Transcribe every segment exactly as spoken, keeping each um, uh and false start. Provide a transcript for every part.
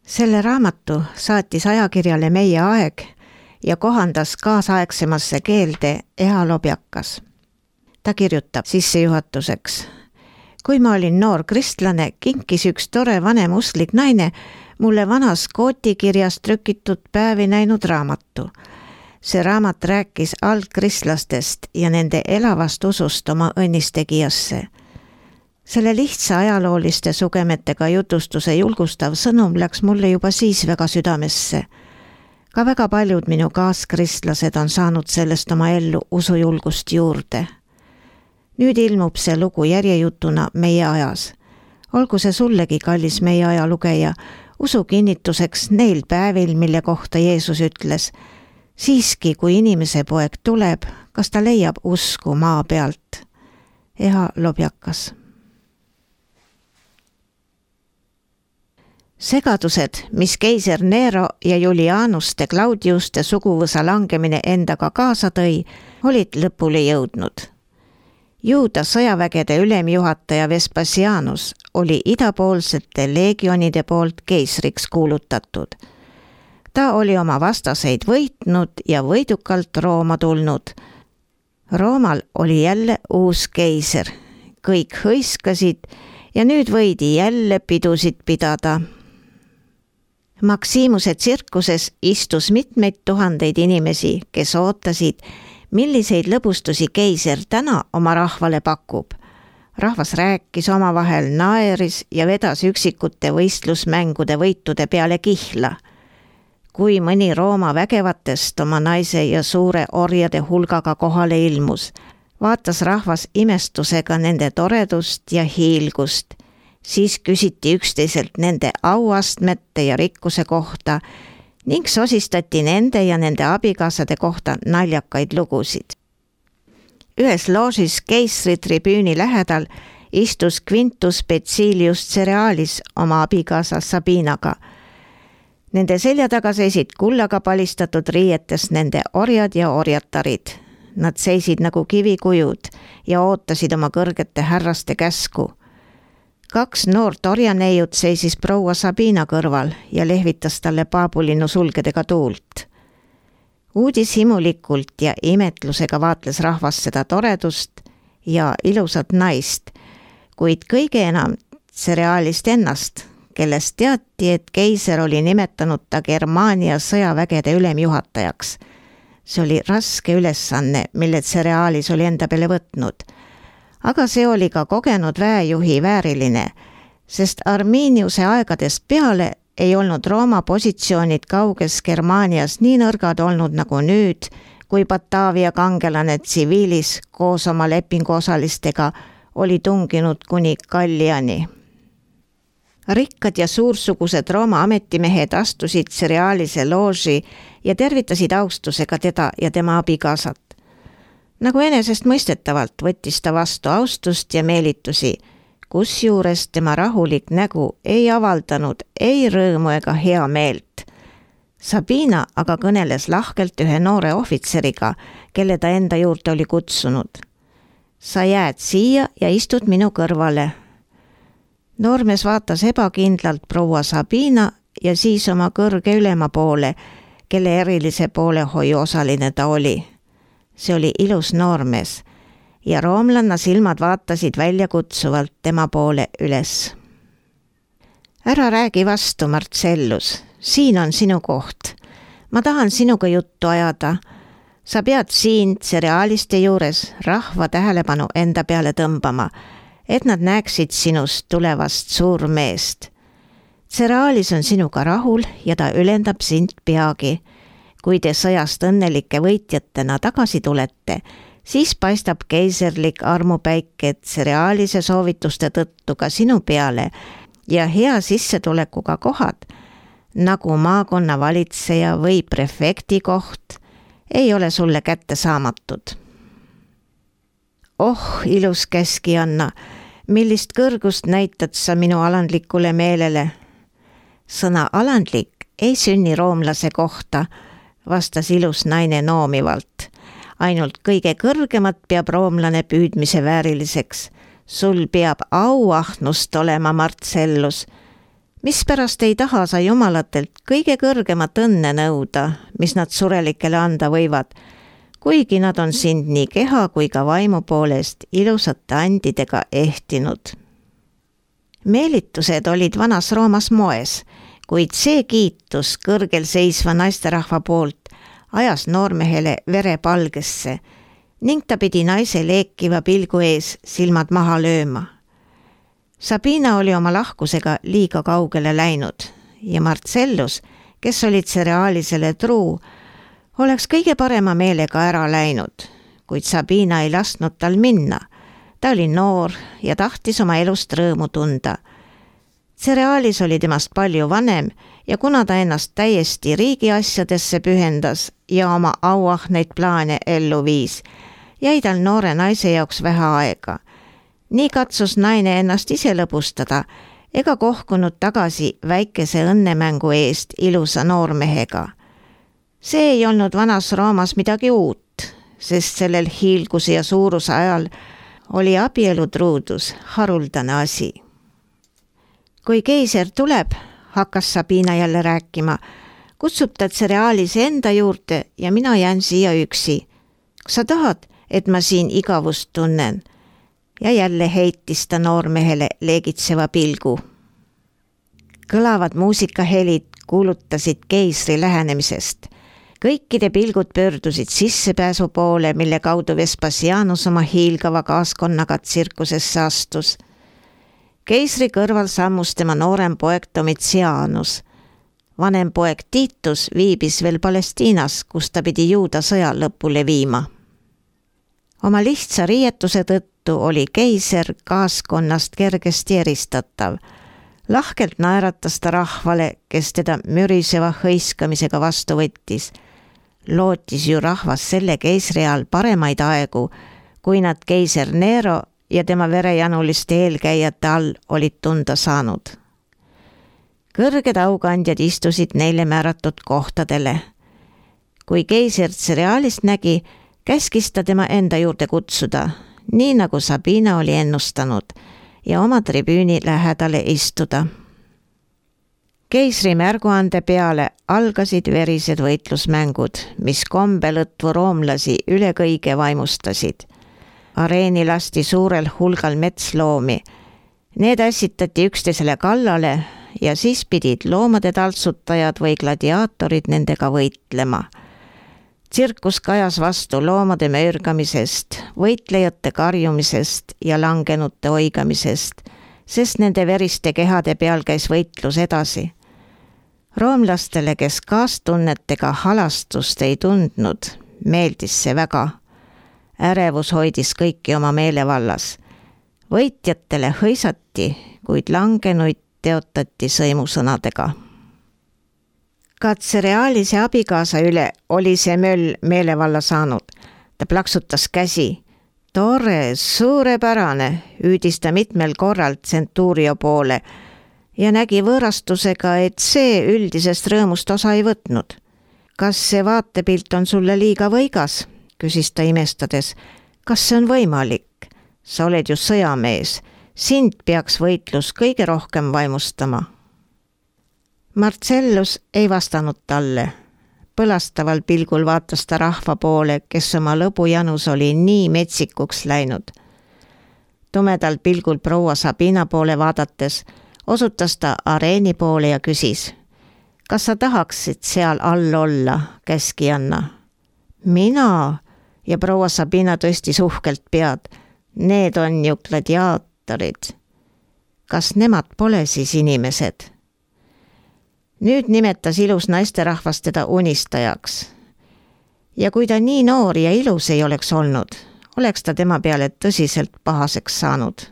Selle raamatu saatis ajakirjale Meie Aeg ja kohandas kaasaegsemasse keelde Eha Lobjakas. Ta kirjutab sissejuhatuseks. Kui ma olin noor kristlane, kinkis üks tore vanem usklik naine mulle vanas kootikirjas trükitud päevi näinud raamatu. See raamat rääkis algkristlastest ja nende elavast usust oma õnnistegijasse. Selle lihtsa ajalooliste sugemetega jutustuse julgustav sõnum läks mulle juba siis väga südamesse. Ka väga paljud minu kaaskristlased on saanud sellest oma ellu usujulgust juurde. Nüüd ilmub see lugu järjejutuna Meie ajas. Olgu see sullegi, kallis Meie aja lugeja, usu kinnituseks neil päevil, mille kohta Jeesus ütles, siiski kui inimese poeg tuleb, kas ta leiab usku maa pealt. Eha Lobjakas. Segadused, mis keiser Nero ja Julianuste Claudiuste suguvõsa langemine endaga kaasa tõi, olid lõpule jõudnud. Juuda sõjavägede ülemjuhataja Vespasianus oli idapoolsete legionide poolt keisriks kuulutatud. Ta oli oma vastaseid võitnud ja võidukalt Rooma tulnud. Roomal oli jälle uus keiser. Kõik hõiskasid ja nüüd võidi jälle pidusid pidada. Maksimuse tsirkuses istus mitmeid tuhandeid inimesi, kes ootasid, milliseid lõbustusi keiser täna oma rahvale pakub. Rahvas rääkis omavahel, naeris ja vedas üksikute võistlusmängude võitude peale kihla. Kui mõni Rooma vägevatest oma naise ja suure orjade hulgaga kohale ilmus, vaatas rahvas imestusega nende toredust ja hiilgust. Siis küsiti üksteiselt nende auastmete ja rikkuse kohta ning sosistati nende ja nende abikaasade kohta naljakaid lugusid. Ühes loožis keisri tribüüni lähedal istus Quintus Becilius Cerealis oma abikaasa Sabinaga. Nende selja taga seisid kullaga palistatud riietes nende orjad ja orjatarid. Nad seisid nagu kivikujud ja ootasid oma kõrgete härraste käsku. Kaks noort orjaneiud seisis proua Sabina kõrval ja lehvitas talle paabulinnu sulgedega tuult. Uudishimulikult ja imetlusega vaatles rahvas seda toredust ja ilusat naist, kuid kõige enam Cerealist ennast, kellest teati, et keiser oli nimetanud ta Germaania sõjavägede ülemjuhatajaks. See oli raske ülesanne, mille Cerealis oli enda peale võtnud. Aga see oli ka kogenud väejuhi vääriline, sest Arminiuse aegadest peale ei olnud Rooma positsioonid kauges Germaanias nii nõrgad olnud nagu nüüd, kui Bataavia kangelane tsiviilis koos oma lepinguosalistega oli tunginud kuni Galliani. Rikkad ja suursugused Rooma ametimehed astusid Cerealise looži ja tervitasid austusega teda ja tema abikaasat. Nagu enesest mõistetavalt võttis ta vastu austust ja meelitusi, kusjuures tema rahulik nägu ei avaldanud ei rõõmu ega hea meelt. Sabina aga kõneles lahkelt ühe noore ohvitseriga, kelle ta enda juurde oli kutsunud. Sa jääd siia ja istud minu kõrvale. Noormees vaatas ebakindlalt proua Sabina ja siis oma kõrge ülema poole, kelle erilise poolehoiu osaline ta oli. See oli ilus noormees ja roomlanna silmad vaatasid väljakutsuvalt tema poole üles. Ära räägi vastu, Marcellus, siin on sinu koht. Ma tahan sinuga juttu ajada. Sa pead siin Cerealiste juures rahva tähelepanu enda peale tõmbama, et nad näeksid sinust tulevast suurmeest. Cerealis on sinuga rahul ja ta ülendab sind peagi. Kui te sõjast õnnelike võitjatena tagasi tulete, siis paistab keiserlik armupäike Cerealise soovituste tõttu ka sinu peale ja hea sissetulekuga kohad, nagu maakonna valitseja või prefekti koht, ei ole sulle kätte saamatud. Oh, ilus käskijanna, millist kõrgust näitad sa minu alandlikule meelele? Sõna alandlik ei sünni roomlase kohta, vastas ilus naine noomivalt. Ainult kõige kõrgemat peab roomlane püüdmise vääriliseks. Sul peab auahnust olema, Marcellus. Mispärast ei taha sa jumalatelt kõige kõrgemat õnne nõuda, mis nad surelikele anda võivad, kuigi nad on sind nii keha kui ka vaimu poolest ilusate andidega ehtinud. Meelitused olid vanas Roomas moes, kuid see kiitus kõrgel seisva naisterahva poolt ajas noormehele vere palgesse ning ta pidi naise leekiva pilgu ees silmad maha lööma. Sabina oli oma lahkusega liiga kaugele läinud ja Marcellus, kes olid Cerealisele truu, oleks kõige parema meelega ära läinud, kuid Sabina ei lasknud tal minna. Ta oli noor ja tahtis oma elust rõõmu tunda. Cerealis oli temast palju vanem ja kuna ta ennast täiesti riigi asjadesse pühendas ja oma auahneid plaane ellu viis, jäi tal noore naise jaoks vähe aega. Nii katsus naine ennast ise lõbustada ega kohkunud tagasi väikese õnnemängu eest ilusa noormehega. See ei olnud vanas Roomas midagi uut, sest sellel hiilguse ja suuruse ajal oli abielutruudus haruldane asi. Kui keiser tuleb, hakkas Sabina jälle rääkima, kutsub ta Cerealise enda juurde ja mina jään siia üksi. Kas sa tahad, et ma siin igavust tunnen? Ja jälle heitis ta noormehele leegitseva pilgu. Kõlavad muusikahelid kuulutasid keisri lähenemisest. Kõikide pilgud pöördusid sissepääsu poole, mille kaudu Vespasianus oma hiilgava kaaskonnaga tsirkusesse astus. Keisri kõrval sammus tema noorem poeg Domitianus. Vanem poeg Titus viibis veel Palestiinas, kus ta pidi juuda sõja lõpule viima. Oma lihtsa riietuse tõttu oli keiser kaaskonnast kergesti eristatav. Lahkelt naeratas ta rahvale, kes teda müriseva hõiskamisega vastu võttis. Lootis ju rahvas selle keisri all paremaid aegu, kui nad keiser Nero ja tema verejanuliste eelkäijate all olid tunda saanud. Kõrged aukandjad istusid neile määratud kohtadele. Kui keiser Cerealist nägi, käskis ta tema enda juurde kutsuda, nii nagu Sabina oli ennustanud, ja oma tribüüni lähedale istuda. Keisri märguande peale algasid verised võitlusmängud, mis kombelõtvu roomlasi üle kõige vaimustasid. Areeni lasti suurel hulgal metsloomi. Need ässitati üksteisele kallale ja siis pidid loomade taltsutajad või gladiaatorid nendega võitlema. Tsirkus kajas vastu loomade möörgamisest, võitlejate karjumisest ja langenute oigamisest, sest nende veriste kehade peal käis võitlus edasi. Roomlastele, kes kaastunnetega halastust ei tundnud, meeldis see väga. Ärevus hoidis kõiki oma meelevallas. Võitjatele hõisati, kuid langenuid teotati sõimusõnadega. Ka Cerealise abikaasa üle oli see möll meelevalla saanud. Ta plaksutas käsi. Tore, suurepärane, hüüdis ta mitmel korral Centurio poole ja nägi võõrastusega, et see üldisest rõõmust osa ei võtnud. Kas see vaatepilt on sulle liiga võigas? Küsis ta imestades. Kas see on võimalik? Sa oled ju sõjamees. Sind peaks võitlus kõige rohkem vaimustama. Marcellus ei vastanud talle. Põlastaval pilgul vaatas ta rahva poole, kes oma lõbujanus oli nii metsikuks läinud. Tumedal pilgul proua Sabina poole vaadates osutas ta areeni poole ja küsis. Kas sa tahaksid seal all olla, käskijanna? Mina? Ja proua Sabina tõstis uhkelt pead. Need on ju gladiaatorid. Kas nemad pole siis inimesed? Nüüd nimetas ilus naisterahvas teda unistajaks. Ja kui ta nii noor ja ilus ei oleks olnud, oleks ta tema peale tõsiselt pahaseks saanud.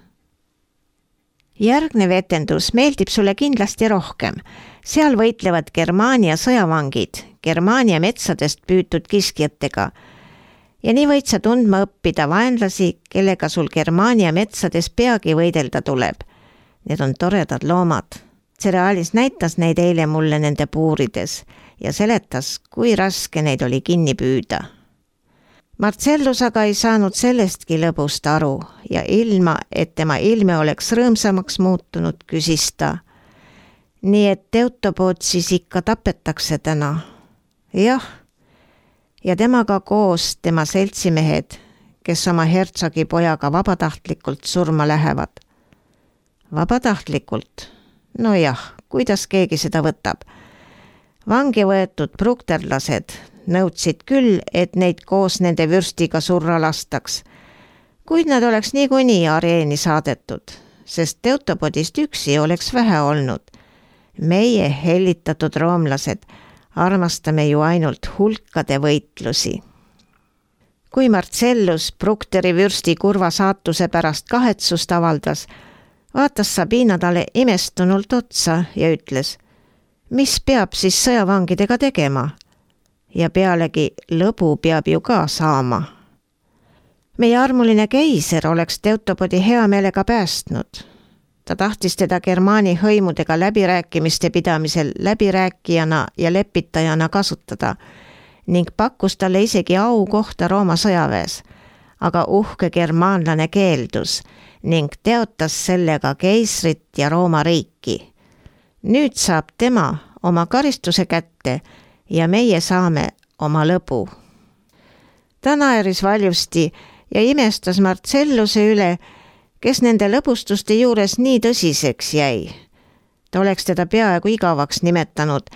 Järgnev etendus meeldib sulle kindlasti rohkem. Seal võitlevad Germaania sõjavangid, Germaania metsadest püütud kiskjatega. Ja nii võid sa tundma õppida vaenlasi, kellega sul Germaania metsades peagi võidelda tuleb. Need on toredad loomad. Cerealis näitas neid eile mulle nende puurides ja seletas, kui raske neid oli kinni püüda. Marcellus aga ei saanud sellestki lõbust aru ja ilma, et tema ilme oleks rõõmsamaks muutunud, küsis ta. Nii et Teutopood siis ikka tapetakse täna. Jah, ja temaga koos tema seltsimehed, kes oma hertsogi pojaga vabatahtlikult surma lähevad. Vabatahtlikult? No jah, kuidas keegi seda võtab? Vangi võetud prukterlased nõudsid küll, et neid koos nende vürstiga surra lastaks, kuid nad oleks niikuinii areeni saadetud, sest Teutopodist üksi oleks vähe olnud. Meie hellitatud roomlased armastame ju ainult hulkade võitlusi. Kui Marcellus Brukteri vürsti kurva saatuse pärast kahetsust avaldas, vaatas Sabina talle imestunult otsa ja ütles, mis peab siis sõjavangidega tegema? Ja pealegi lõbu peab ju ka saama. Meie armuline keiser oleks Teutopodi hea meelega päästnud. Ta tahtis teda Germaani hõimudega läbirääkimiste pidamisel läbirääkijana ja lepitajana kasutada ning pakkus talle isegi au kohta Rooma sõjaväes, aga uhke germaanlane keeldus ning teotas sellega keisrit ja Rooma riiki. Nüüd saab tema oma karistuse kätte ja meie saame oma lõbu. Ta naeris valjusti ja imestas Marcelluse üle, kes nende lõbustuste juures nii tõsiseks jäi. Ta oleks teda peaaegu igavaks nimetanud,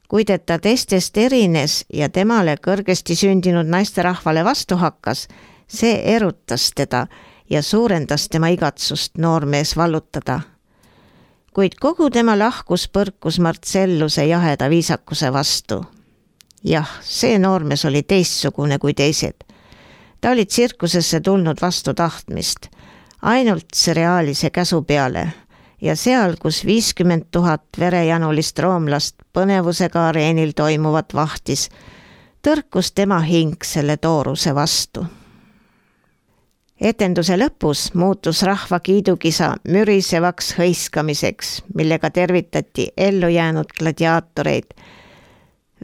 kuid et ta teistest erines ja temale kõrgesti sündinud naisterahvale vastu hakkas, see erutas teda ja suurendas tema igatsust noormees vallutada. Kuid kogu tema lahkus põrkus Marcelluse jaheda viisakuse vastu. Jah, see noormees oli teistsugune kui teised. Ta oli tsirkusesse tulnud vastu tahtmist, ainult seriaalise käsu peale ja seal, kus viiskümmend tuhat verejanulist roomlast põnevusega areenil toimuvat vahtis, tõrkus tema hing selle tooruse vastu. Etenduse lõpus muutus rahva kiidukisa mürisevaks hõiskamiseks, millega tervitati ellu jäänud gladiaatoreid.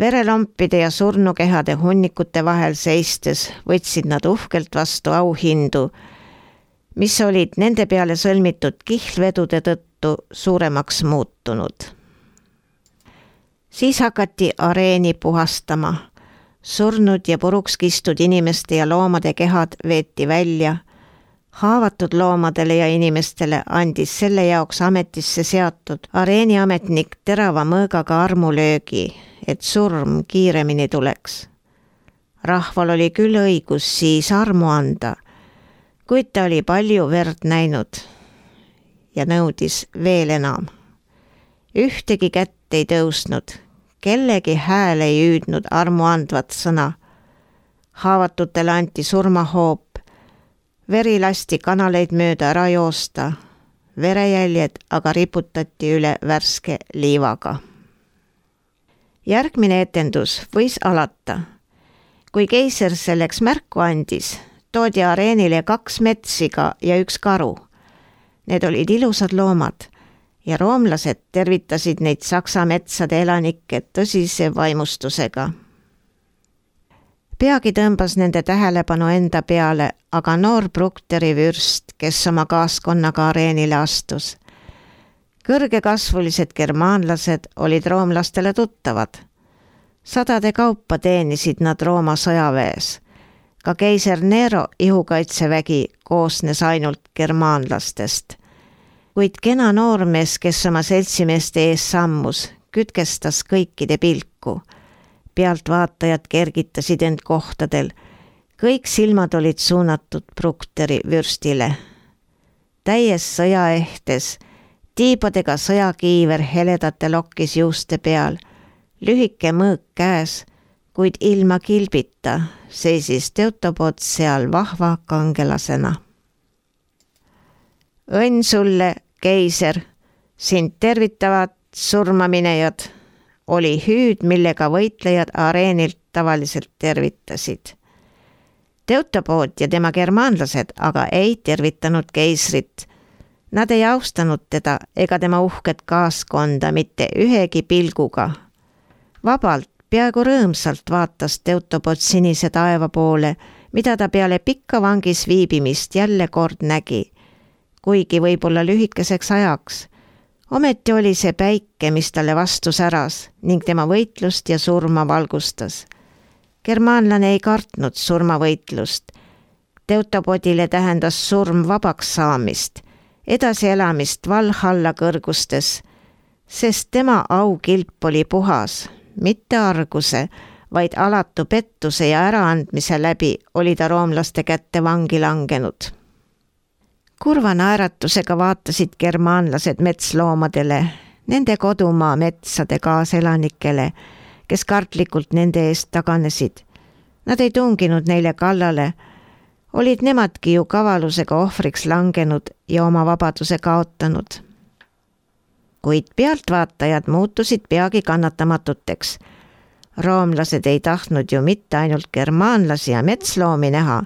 Verelompide ja surnukehade hunnikute vahel seistes võtsid nad uhkelt vastu auhindu, mis olid nende peale sõlmitud kihlvedude tõttu suuremaks muutunud. Siis hakati areeni puhastama. Surnud ja puruks kistud inimeste ja loomade kehad veeti välja. Haavatud loomadele ja inimestele andis selle jaoks ametisse seatud areeniametnik terava mõõgaga armulöögi, et surm kiiremini tuleks. Rahval oli küll õigus siis armu anda, kuid ta oli palju verd näinud ja nõudis veel enam. Ühtegi kätt ei tõusnud, kellegi hääl ei hüüdnud armu andvat sõna. Haavatutele anti surmahoop, veri lasti kanaleid mööda ära joosta, verejäljed aga riputati üle värske liivaga. Järgmine etendus võis alata. Kui keiser selleks märku andis, toodi areenile kaks metsiga ja üks karu. Need olid ilusad loomad ja roomlased tervitasid neid Saksa metsade elanikke tõsise vaimustusega. Peagi tõmbas nende tähelepanu enda peale aga noor Brukteri vürst, kes oma kaaskonnaga areenile astus. Kõrgekasvulised germaanlased olid roomlastele tuttavad. Sadade kaupa teenisid nad Rooma sõjaväes. Ka keiser Nero ihukaitsevägi koosnes ainult germaanlastest. Kuid kena noormees, kes oma seltsimeeste ees sammus, kütkestas kõikide pilku. Pealtvaatajad kergitasid end kohtadel. Kõik silmad olid suunatud Brukteri vürstile. Täies sõjaehtes, tiibadega sõjakiiver heledate lokkis juuste peal, lühike mõõk käes, kuid ilma kilbita seisis Teutopod seal vahva kangelasena. Õnn sulle, keiser, sind tervitavad surmaminejad, oli hüüd, millega võitlejad areenilt tavaliselt tervitasid. Teutopod ja tema germaanlased aga ei tervitanud keisrit. Nad ei austanud teda ega tema uhket kaaskonda mitte ühegi pilguga. Vabalt, peaaegu rõõmsalt vaatas Teutopod sinise taeva poole, mida ta peale pikka vangis viibimist jälle kord nägi, kuigi võib-olla lühikeseks ajaks, Ometi oli see päike, mis talle vastu säras ning tema võitlust ja surma valgustas. Germaanlane ei kartnud surmavõitlust. Teutobodile tähendas surm vabaks saamist, edasielamist Valhalla kõrgustes, sest tema aukilp oli puhas, mitte arguse, vaid alatu pettuse ja äraandmise läbi oli ta roomlaste kätte vangi langenud. Kurva naeratusega vaatasid germaanlased metsloomadele, nende kodumaa metsade kaaselanikele, kes kartlikult nende eest taganesid. Nad ei tunginud neile kallale, olid nemadki ju kavalusega ohvriks langenud ja oma vabaduse kaotanud. Kuid pealtvaatajad muutusid peagi kannatamatuteks. Roomlased ei tahtnud ju mitte ainult germaanlasi ja metsloomi näha,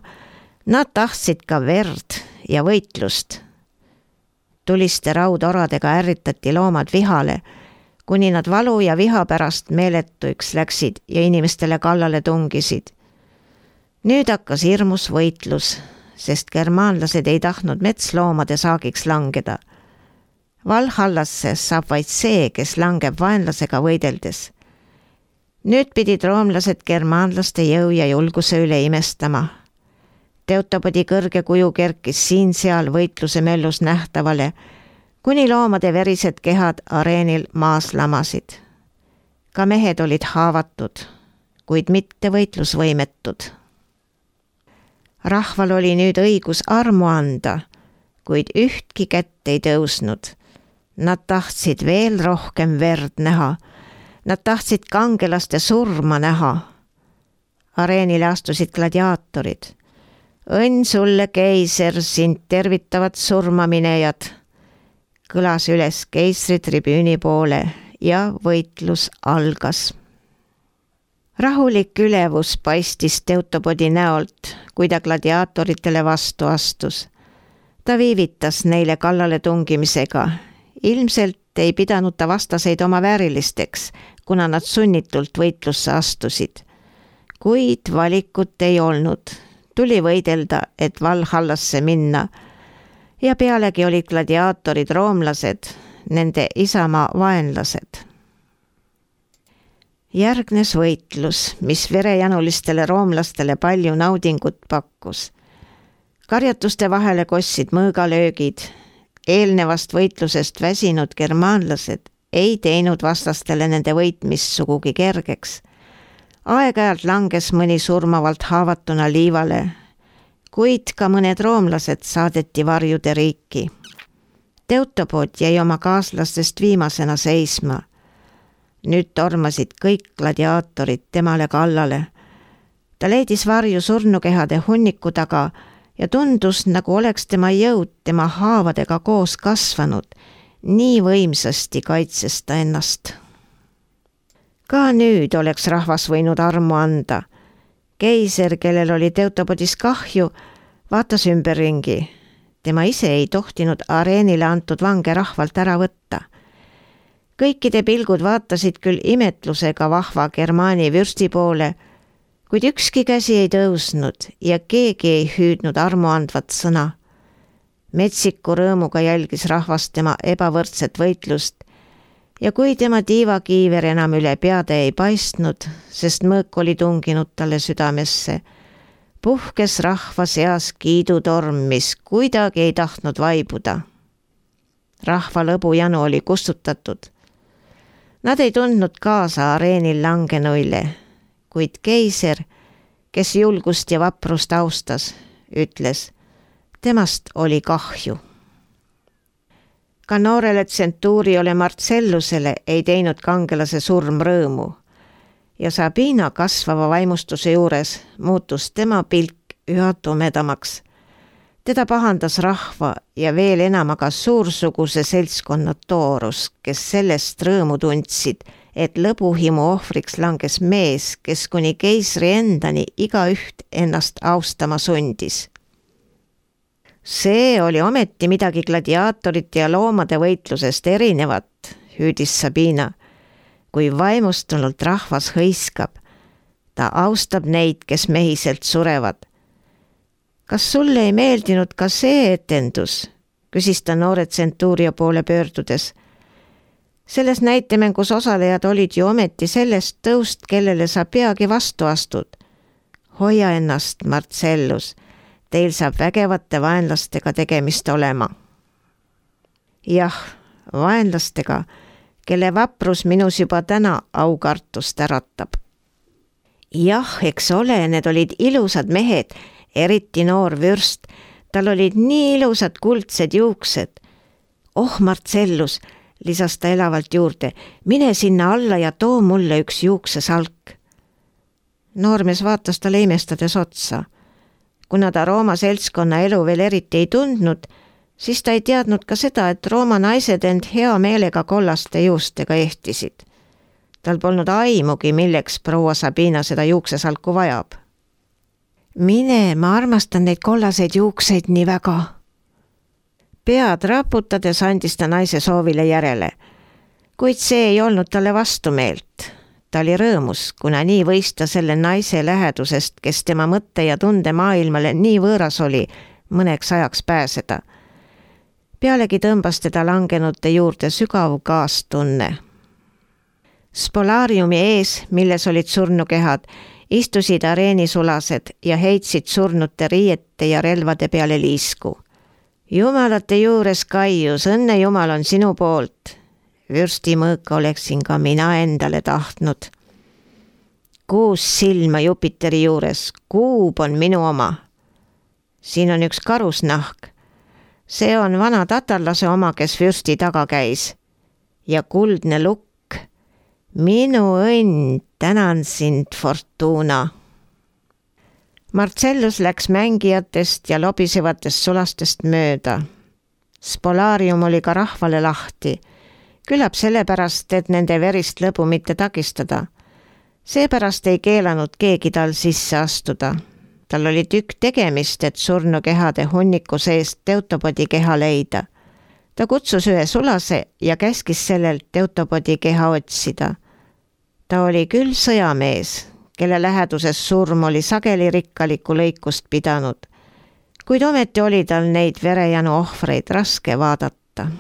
nad tahtsid ka verd ja võitlust. Tuliste raudoradega ärritati loomad vihale, kuni nad valu ja viha pärast meeletuiks läksid ja inimestele kallale tungisid. Nüüd hakkas hirmus võitlus, sest germaanlased ei tahtnud metsloomade saagiks langeda. Valhallasse saab vaid see, kes langeb vaenlasega võideldes. Nüüd pidid roomlased germaanlaste jõu ja julguse üle imestama. Teutobodi kõrge kuju kerkis siin-seal võitluse möllus nähtavale, kuni loomade verised kehad areenil maas lamasid. Ka mehed olid haavatud, kuid mitte võitlusvõimetud. Rahval oli nüüd õigus armu anda, kuid ühtki kätt ei tõusnud. Nad tahtsid veel rohkem verd näha. Nad tahtsid kangelaste surma näha. Areenile astusid gladiaatorid. Õnn sulle, keiser, sind tervitavad surmaminejad. Kõlas üles keisri tribüüni poole ja võitlus algas. Rahulik ülevus paistis Teutobodi näolt, kui ta gladiaatoritele vastu astus. Ta viivitas neile kallale tungimisega. Ilmselt ei pidanud ta vastaseid oma väärilisteks, kuna nad sunnitult võitlusse astusid. Kuid valikut ei olnud. Tuli võidelda, et Valhallasse minna. Ja pealegi olid gladiaatorid roomlased, nende isamaa vaenlased. Järgnes võitlus, mis verejanulistele roomlastele palju naudingut pakkus. Karjatuste vahele kossid mõõgalöögid. Eelnevast võitlusest väsinud germaanlased ei teinud vastastele nende võitmist sugugi kergeks. Aeg-ajalt langes mõni surmavalt haavatuna liivale, kuid ka mõned roomlased saadeti varjude riiki. Teutobod jäi oma kaaslastest viimasena seisma. Nüüd tormasid kõik gladiaatorid temale kallale. Ta leidis varju surnukehade hunniku taga ja tundus, nagu oleks tema jõud tema haavadega koos kasvanud, nii võimsasti kaitses ta ennast. Ka nüüd oleks rahvas võinud armu anda. Keiser, kellel oli Teutobodis kahju, vaatas ümberringi. Tema ise ei tohtinud areenile antud vange rahvalt ära võtta. Kõikide pilgud vaatasid küll imetlusega vahva Germaani vürsti poole, kuid ükski käsi ei tõusnud ja keegi ei hüüdnud armuandvat sõna. Metsiku rõõmuga jälgis rahvast tema ebavõrdset võitlust ja kui tema tiivakiiver enam üle peade ei paistnud, sest mõõk oli tunginud talle südamesse, puhkes rahva seas kiidutorm, mis kuidagi ei tahtnud vaibuda. Rahva lõbujanu oli kustutatud. Nad ei tundnud kaasa areenil langenuile, kuid keiser, kes julgust ja vaprust austas, ütles, temast oli kahju. Ka noorele tsentuuriole Marcellusele ei teinud kangelase surm rõõmu ja Sabina kasvava vaimustuse juures muutus tema pilk üha tumedamaks. Teda pahandas rahva ja veel enam aga suursuguse seltskonna toorus, kes sellest rõõmu tundsid, et lõbuhimu ohvriks langes mees, kes kuni keisri endani igaüht ennast austama sundis. See oli ometi midagi gladiaatorite ja loomade võitlusest erinevat, hüüdis Sabina. Kui vaimustunult rahvas hõiskab, ta austab neid, kes mehiselt surevad. Kas sulle ei meeldinud ka see etendus, küsis ta noore tsentuuria poole pöördudes. Selles näitemängus osalejad olid ju ometi sellest tõust, kellele sa peagi vastu astud. Hoia ennast, Marcellus, teil saab vägevate vaenlastega tegemist olema. Jah, vaenlastega, kelle vaprus minus juba täna aukartust äratab. Jah, eks ole, need olid ilusad mehed, eriti noor vürst, tal olid nii ilusad kuldsed juuksed. Oh, Marcellus, lisas ta elavalt juurde, mine sinna alla ja too mulle üks juuksesalk. Noormees vaatas talle imestades otsa. Kuna ta Rooma seltskonna elu veel eriti ei tundnud, siis ta ei teadnud ka seda, et Rooma naised end hea meelega kollaste juustega ehtisid. Tal polnud aimugi, milleks proua Sabina seda juuksesalku vajab. Mine, ma armastan neid kollaseid juukseid nii väga. Pead raputades andis ta naise soovile järele, kuid see ei olnud talle vastumeelt. Ta oli rõõmus, kuna nii võis ta selle naise lähedusest, kes tema mõtte ja tunde maailmale nii võõras oli, mõneks ajaks pääseda. Pealegi tõmbas teda langenute juurde sügav kaastunne. Spolaariumi ees, milles olid surnukehad, istusid areenisulased ja heitsid surnute riiete ja relvade peale liisku. Jumalate juures, Kaius, õnne Jumal on sinu poolt. Vürsti mõõka oleksin ka mina endale tahtnud. Kuus silma Jupiteri juures, kuub on minu oma. Siin on üks karusnahk. See on vana tatarlase oma, kes vürsti taga käis. Ja kuldne lukk. Minu õnn, tänan sind, Fortuna. Marcellus läks mängijatest ja lobisevatest sulastest mööda. Spolaarium oli ka rahvale lahti. Küllap sellepärast, et nende verist lõbu mitte takistada. Seepärast ei keelanud keegi tal sisse astuda. Tal oli tükk tegemist, et surnukehade hunniku seest Teutopodi keha leida. Ta kutsus ühe sulase ja käskis sellelt Teutopodi keha otsida. Ta oli küll sõjamees, kelle läheduses surm oli sageli rikkalikku lõikust pidanud, kuid ometi oli tal neid verejanu ohvreid raske vaadata.